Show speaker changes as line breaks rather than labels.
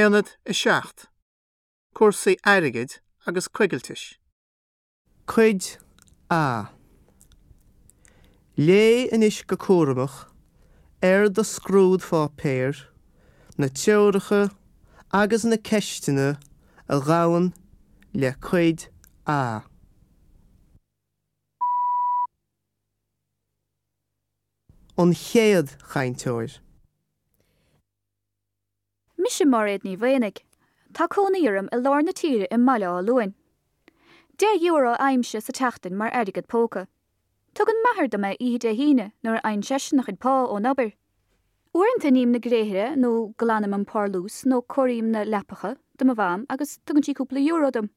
Aonad 7, Cúrsaí airgid agus coigiltis. Cuid A. Léigh anois go cúramach ar do scrúdpháipéar na treoracha agus na ceisteanna a ghabhann le Cuid A. An chéad chainteoir.
Mise Máiréad Ní Mhaonaigh. Tá cónaí orm i lár na tíre i mBaile Átha Luain. €10 a fhaighimse sa tseachtain mar airgead póca. Tugann m'athair dom é oíche Dé hAoine nuair a fhaigheann seisean a chuid pá ón obair. Uaireanta ním na gréithre nó glanaim an parlús nó cóirím na leapacha do mo mham agus tugann sí cúpla euro dom.